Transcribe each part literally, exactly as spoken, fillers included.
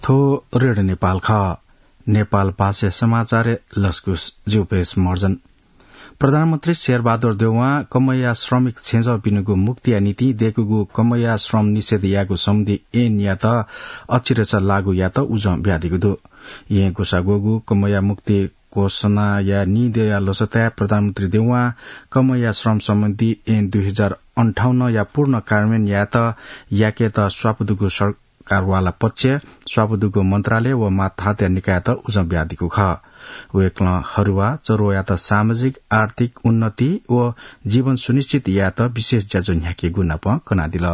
थ्व रेडियो नेपाल खः। नेपाल भाषा समाचारय् लसकुस ज्यू पेश मर्जन। प्रधानमन्त्री शेरबहादुर देउवां कमैया श्रमिक छेँजःपिनिगु मुक्तिया निंतिं दय्कूगु कमैया श्रम निषेध यायेगु सम्बन्धी ऐनयात अचिरेच लागू यायेत उजं बियादीगु दु। येँ ग्वसाः ग्वःगु कमैया मुक्ति घोषणाया नीदँया लसताय् प्रधानमन्त्री देउवां कमैया श्रम सम्बन्धी ऐन दुई हजार अन्ठाउन्नया पूर्ण कार्यान्वयन यायेत याकेत स्वापू दुगु सरकारवाला पक्ष, स्वापू दुगु मन्त्रालय व मातहतया निकायत उजं बियादीगु खः। वय्कलं हरुवा चरुवायात सामाजिक, आर्थिक उन्नति व जीवन सुनिश्चित यायेत विशेष ज्याझ्वः न्ह्याकेगु नाप कनादिल।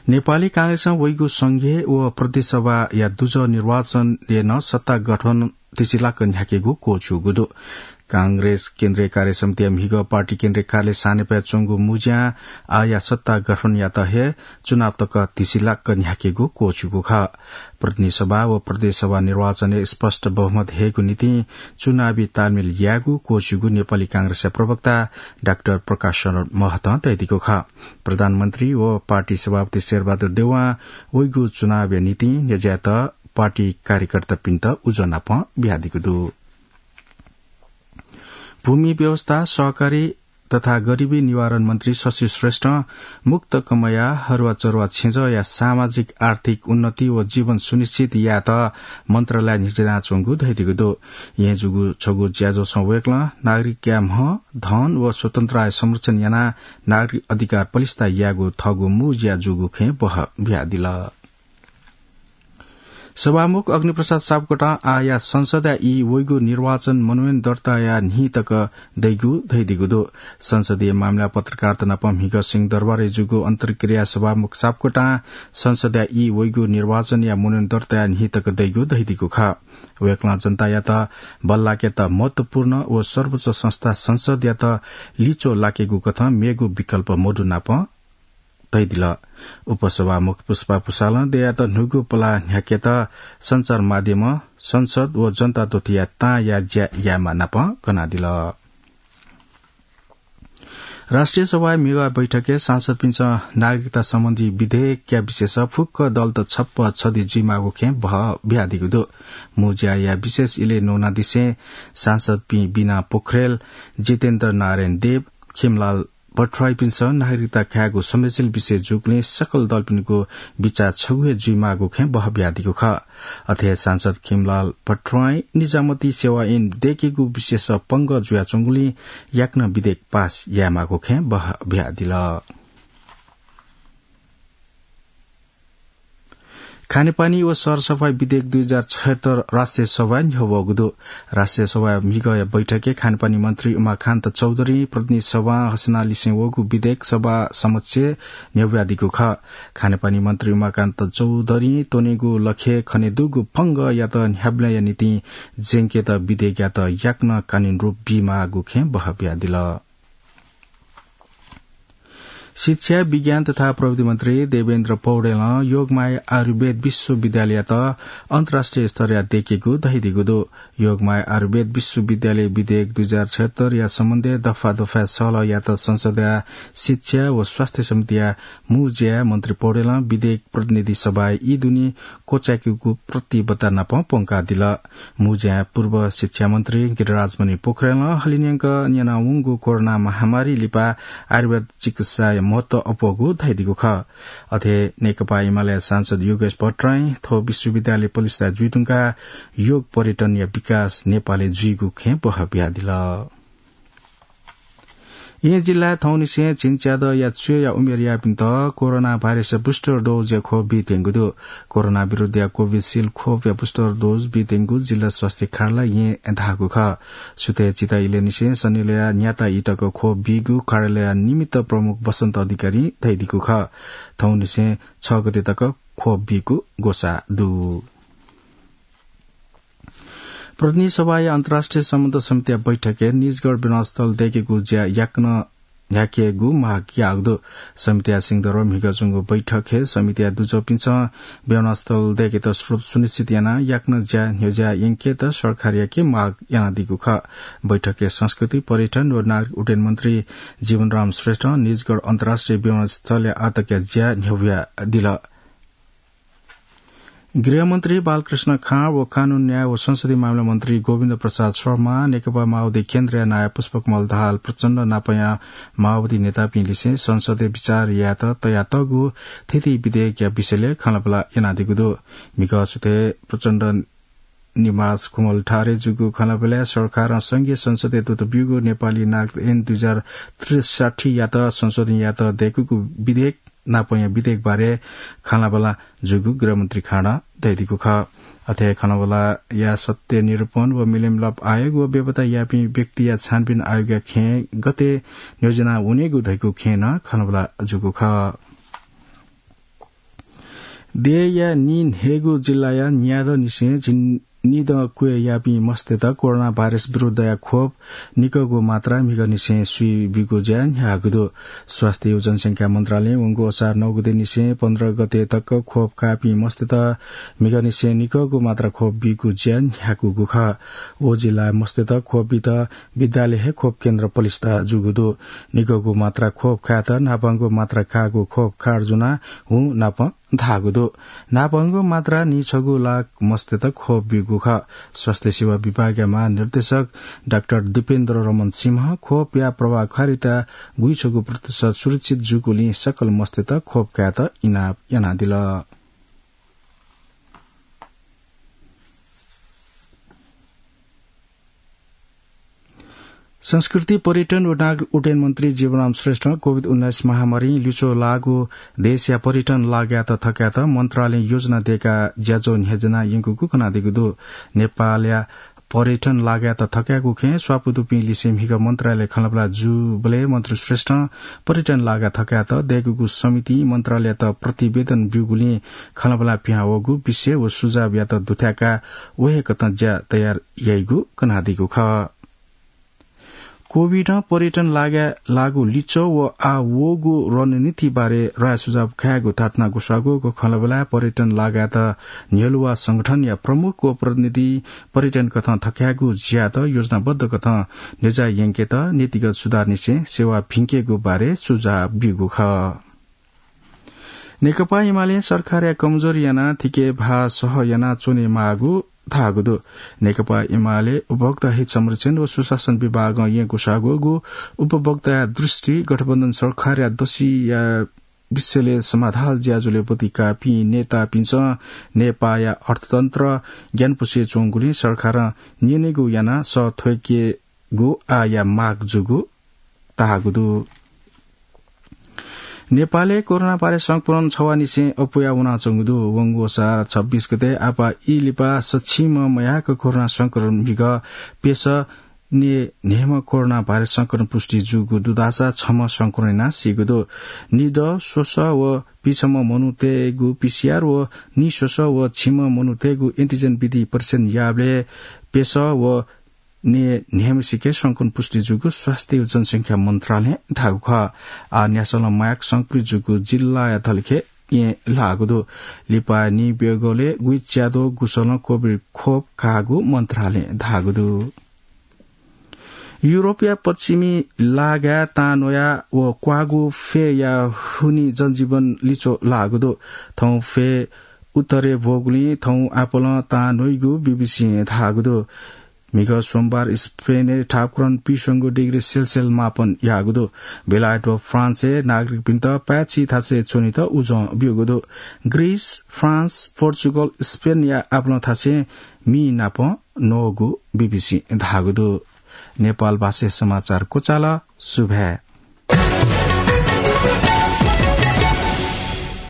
नेपाली कांग्रेसं वइगु संघीय व प्रदेश सभाया दुजः निर्वाचनय् नं सत्ता गठन तिसिलाक न्ह्याकेगु क्वःछ्यूगु दु। कांग्रेस केन्द्रीय कार्य समितिया म्हिगः पार्टी केन्द्रीय कार्यालय सानेपाय् च्वंगु मुँज्यां आःया सत्ता गठनयात हे चुनाव तक तिसिलाक न्ह्याकेगु क्वःछ्यूगु खः। प्रतिनिधि सभा व प्रदेश सभा निर्वाचनय् स्पष्ट बहुमत हयेगु निंतिं चुनावी तालमेल यायेगु क्वःछ्यूगु नेपाली कांग्रेसया प्रवक्ता डाक्टर प्रकाश शरण महतं धयादीगु खः। प्रधानमन्त्री व पार्टी सभापति शेरबहादुर देउवां वइगु चुनावया निंतिं न्ह्यज्यायेत पार्टी कार्यकर्तापिन्त उजं नाप बियादीगु दु। भूमि व्यवस्था, सहकारी तथा गरिबी निवारण मन्त्री शशि श्रेष्ठं मुक्त कमैया हरुवा चरुवा छेँजःया सामाजिक आर्थिक उन्नति व जीवन सुनिश्चित यायेत मन्त्रालय न्ह्यज्यानाच्वंगु धयादीगु दु। येँ जूगु छगू ज्याझ्वलय् वय्कलं नागरिकया म्ह, धन व स्वतन्त्रताया संरक्षण यानाः नागरिक अधिकार पलिस्था यायेगु थःगु मू ज्या जूगु खँय् बहः बियादिल। सभामुख अग्निप्रसाद सापकोटां आःया संसदया ई वइगु निर्वाचन मनोनयन दर्ताया न्हि तक दइगु धयादीगु दु। संसदीय मामिला पत्रकारिता नाप म्हिगः सिंहदरबारय् जूगु अन्तर्क्रियाय् सभामुख सापकोटां संसदया ई वइगु निर्वाचनया मनोनयन दर्ताया न्हि तक दइगु धयादीगु खः। वय्कलं जनतायात बल्लाकेत महत्वपूर्ण व सर्वोच्च संस्था संसदयात लिच्वः लाकेगु कथं मेगु विकल्प मदु नाप धयादिल। उपसभामुख पुष्पा भुसालं दयात न्हूगु पलाः न्ह्याकेत सञ्चार माध्यमं संसद व जनता दथुया तांया ज्या यायेमाः नाप कनादिल। राष्ट्रिय सभाया म्हिगः बैठकय् सांसदपिन्सं नागरिकता सम्बन्धी विधेयकया विषयस फुक्क दलत छप्पँ छधी जुइमाःगु खँय् बहः बियादीगु दु। मू ज्याया विशेष इलय् न्वनादिसें सांसदपिं बिना पोखरेल, जितेन्द्र नारायण देव, खिमलाल भट्टराईपिन्सं नागरिकता कायेगु संवेदनशील विषय जूगुलिं सकल दलपिनिगु बिचाः छगू हे जुइमाःगु खँय् बहः बियादीगु खः। अथे हे सांसद खिमलाल भट्टराईं निजामती सेवा ऐन दय्केगु विषयस पंगः जुयाच्वंगुलिं याकनं विधेयक पास यायेमाःगु खँय् बहः बियादिल। खानेपानी व सरसफाई विधेयक दुई हजार छयत्तर राष्ट्रिय सभाय् न्ह्यवःगु दु। राष्ट्रिय सभाया म्हिगःया बैठकय् खानेपानी मन्त्री उमाकान्त चौधरीं प्रतिनिधि सभां हसनालिसें वःगु विधेयक सभा समक्ष न्ह्यब्वयादीगु खः। खानेपानी मन्त्री उमाकान्त चौधरीं त्वनेगु लखय् खनेदुगु पंगःयात न्ह्याबलेंया निंतिं ज्यंकेत विधेयकयात याकनं कानूनी रूप बीमाःगु खँय् बहः बियादिल। शिक्षा, विज्ञान तथा प्रविधि मन्त्री देवेन्द्र पौडेलं योगमाया आयुर्वेद विश्वविद्यालययात अन्तर्राष्ट्रिय स्तरया दय्केगु धयादीगु दु। योगमाया आयुर्वेद विश्वविद्यालय विधेयक दुई हजार छयत्तरया सम्बन्धय् दफा दफाय् सहलह यायेत संसदया शिक्षा व स्वास्थ्य समितिया मू ज्याय् मन्त्री पौडेलं विधेयक प्रतिनिधि सभाय् ई दुने क्वचाय्केगु प्रतिबद्धता नाप प्वंकादिल। मू ज्याय् पूर्व शिक्षा मन्त्री गिरिराजमणि पोखरेलं हलिंन्यंक न्यनावंगु कोरोना महामारी लिपा आयुर्वेद चिकित्साया महत्व अप्वःगु धयादीगु खः। अथे नेकपा एमाले सांसद योगेश भट्टराईं थ्व विश्वविद्यालय पलिस्था जुइधुंकाः योग पर्यटनया विकास नेपालय् जुइगु खँय् बहः बियादिल। येँ जिल्लाय् थौंनिसें झिंच्यादँया च्वय्या उमेरयापिन्त कोरोना भाइरसया booster dose या खोप बीत्यंगु दु। कोरोना विरुद्धया कोभिसिल्ड खोपया booster dose बीत्यंगु जिल्ला स्वास्थ्य कार्यालयं येँ धाःगु खः। सुथय् चिता इलय्निसें सनिलया न्याता ई तक खोप बीगु कार्यालयया निमित्त प्रमुख बसन्त अधिकारीं धयादीगु खः। थौंनिसें छ गते तक खोप बीगु ग्वसाः दु। प्रतिनिधि सभाया अन्तर्राष्ट्रिय सम्बन्ध समितिया बैठकय् निजगढ विमानस्थल दय्केगु ज्या याकनं न्ह्याकेगु माग याःगु दु। समितिया सिंहदरबार म्हिगः च्वंगु बैठकय् समितिया दुजःपिन्सं विमानस्थल दय्केत स्रोत सुनिश्चित यानाः याकनं ज्या न्ह्यज्याः यंकेत सरकारयाके माग यानादीगु खः। बैठकय् संस्कृति, पर्यटन व नागरिक उड्डयन मन्त्री जीवनराम श्रेष्ठं निजगढ अन्तर्राष्ट्रिय विमानस्थलया आःतकया ज्या न्ह्यब्वयादिल। गृहमन्त्री बालकृष्ण खाँड व कानून न्याय व संसदीय मामिला मन्त्री गोविन्द प्रसाद शर्मा, नेकपा माओवादी केन्द्रया नायः पुष्पकमल दाहाल प्रचण्ड नापंया माओवादी नेतापिं लिसें संसदय् विचार यायेत तयातःगु थीथी विधेयकया विषयलय् खँल्हाबल्हा यानादीगु दु। म्हिगः सुथय् प्रचण्ड निवास खुमलटारय् जूगु खँल्हाबल्हाय् सरकारं संघीय संसदय् दुत ब्यूगु नेपाली नागरिकता ऐन दुई हजार त्रिसठ्ठीयात संशोधन यायेत दय्कूगु विधेयक नापंया विधेयक बारे खँल्हाबल्हा जूगु गृहमन्त्री खाँडं धयादीगु खः। अथे खँल्हाबल्हाया सत्य निरूपण व मिलमिलाप आयोग व बेपत्ता याःपिं व्यक्तिया छानबिन आयोगया खँय् गथे नियोजना वनेगु धइगु खँय् नं खँल्हाबल्हा जूगु खः। देय्‌या नीन्हय्‌गू जिल्लाया न्यादँनिसें झिंनिदँ क्वय् याःपिं मस्तय्‌त कोरोना भाइरस विरुद्धया खोप निकःगु मात्रा म्हिगःनिसें स्वीब्यूगु ज्या न्ह्याःगु दु। स्वास्थ्य व जनसंख्या मन्त्रालयं वंगु असार नौ गतेनिसें पन्ध्र गते तक खोप काःपिं मस्तय्‌त म्हिगःनिसें निकःगु मात्रा खोप बीगु ज्या न्ह्याकूगु खः। व जिल्लाया मस्तय्‌त खोप बीत विद्यालय हे खोप केन्द्र पलिस्था जूगु दु। निकःगु मात्रा खोप कायेत न्हापांगु मात्रा काःगु खोप कार्ड जुना हुँ नापं धाःगु दु। न्हापांगु मात्रा नीछगू लाख मस्तय्‌त खोप ब्यूगु खः। स्वास्थ्य सेवा विभागया महानिर्देशक डाक्टर दीपेन्द्र रमन सिंहं खोपया प्रभावकारिता गुइछगू प्रतिशत सुरक्षित जूगुलिं सकल मस्तय्‌त खोप कायेत इनाप यानादिल। संस्कृति, पर्यटन व नागरिक उड्डयन मन्त्री जीवनराम श्रेष्ठं कोभिड उन्नाइस महामारीं लिच्वः लाःगु देशया पर्यटन लागायेत थकायेत मन्त्रालयं योजना दय्‌काः ज्याझ्वः न्ह्यज्याना यंकूगु कनादीगु दु। नेपालया पर्यटन लागायेत थकायेगु खँय् स्वापू दुपिं लिसें म्हिगः मन्त्रालय खँल्हाबल्हा जूबलय् मन्त्री श्रेष्ठं पर्यटन लागायेत थकायेत दय्‌कूगु समितिं मन्त्रालययात प्रतिवेदन ब्यूगुलिं खँल्हाबल्हा पिहां वःगु विषय व सुझावयात दुथ्याकाः व हे कथं ज्या तयार याइगु कनादीगु खः। कोभिडं पर्यटन लागाय् लाःगु लिच्वः व आः वःगु रणनीति बारे राय सुझाव कायेगु धात्थें गुस्वाः ग्वःगु खँल्हाबल्हाय् पर्यटन लागायेत न्ह्यलुवा संगठनया प्रमुख व प्रतिनिधि पर्यटन कथं थकायेगु ज्यात योजनाबद्ध कथं न्ह्यज्याः यंकेत नीतिगत सुधारनिसें सेवा भिंकेगु बारे सुझाव ब्यूगु खः। नेकपा एमालें सरकारया कमजोरी यानाः थिके भाः सह यानाः च्वने माःगु धाःगु दु। नेकपा एमाले उपभोक्ता हित संरक्षण व सुशासन विभागं येँ गुस्वाः ग्वःगु उपभोक्ताया दृष्टि गठबन्धन सरकारया दसिया विषयलय् समाधान ज्याझ्वलय् ब्वति काःपिं नेतापिन्सं नेपाःया अर्थतन्त्र ग्यानापुसे च्वंगुलिं सरकारं न्यनेगु यानाः सः थ्वयेकेगु आःया माग जूगु धाःगु दु। नेपालय् कोरोना भाइरस संक्रमण छवाःनिसें अप्वया वनाच्वंगु दु। वंगु असार छब्बीस गते आपाः ई लिपा सछिंम्ह मयाक कोरोना संक्रमण म्हिगः प्यसः न्येन्हय्म्ह कोरोना भाइरस संक्रमण पुष्टि जूगु दु धाःसा छम्ह संक्रमण यानाः सीगु दु। निदँ स्वसः व पिछम्ह मनूतय्गु पीसीआर व निस्वसः व छिम्ह मनूतय्गु एन्टिजेन विधि परीक्षण याःबलय् प्यसः व न्येन्हय्म्हसिके संक्रमण पुष्टि जूगु स्वास्थ्य व जनसंख्या मन्त्रालयं धाःगु खः। आः न्यासलं मयाक संक्रमित जूगु जिल्लाया धलिखय् येँ लाःगु दु। लिपा नीब्यगलय् गुइच्याद्वः गुसलं कोभिड खोप काःगु मन्त्रालयं धाःगु दु। युरोपया पश्चिमी लागाय् तां न्वया व क्वाःगु फय्या हुनिं जनजीवन लिच्वः लाःगु दु। थौं फय् उत्तरय् ब्वःगुलिं थौं आपालं तां न्वइगु बीबीसीं धाःगु दु। म्हिगः सोमबार स्पेनय् ठाकुरं पीस्वंगू डिग्री सेल्सियस मापन याःगु दु। बेलायत व फ्रान्सय् नागरिकपिन्त पाय्छि थासय् च्वनेत उजं ब्यूगु दु। ग्रीस, फ्रान्स, पोर्चुगल, स्पेनया आपालं थासय् मि नापं न्वःगु बीबीसीं धाःगु दु। नेपाल भाषाय् समाचार क्वचाल। सुभाय्।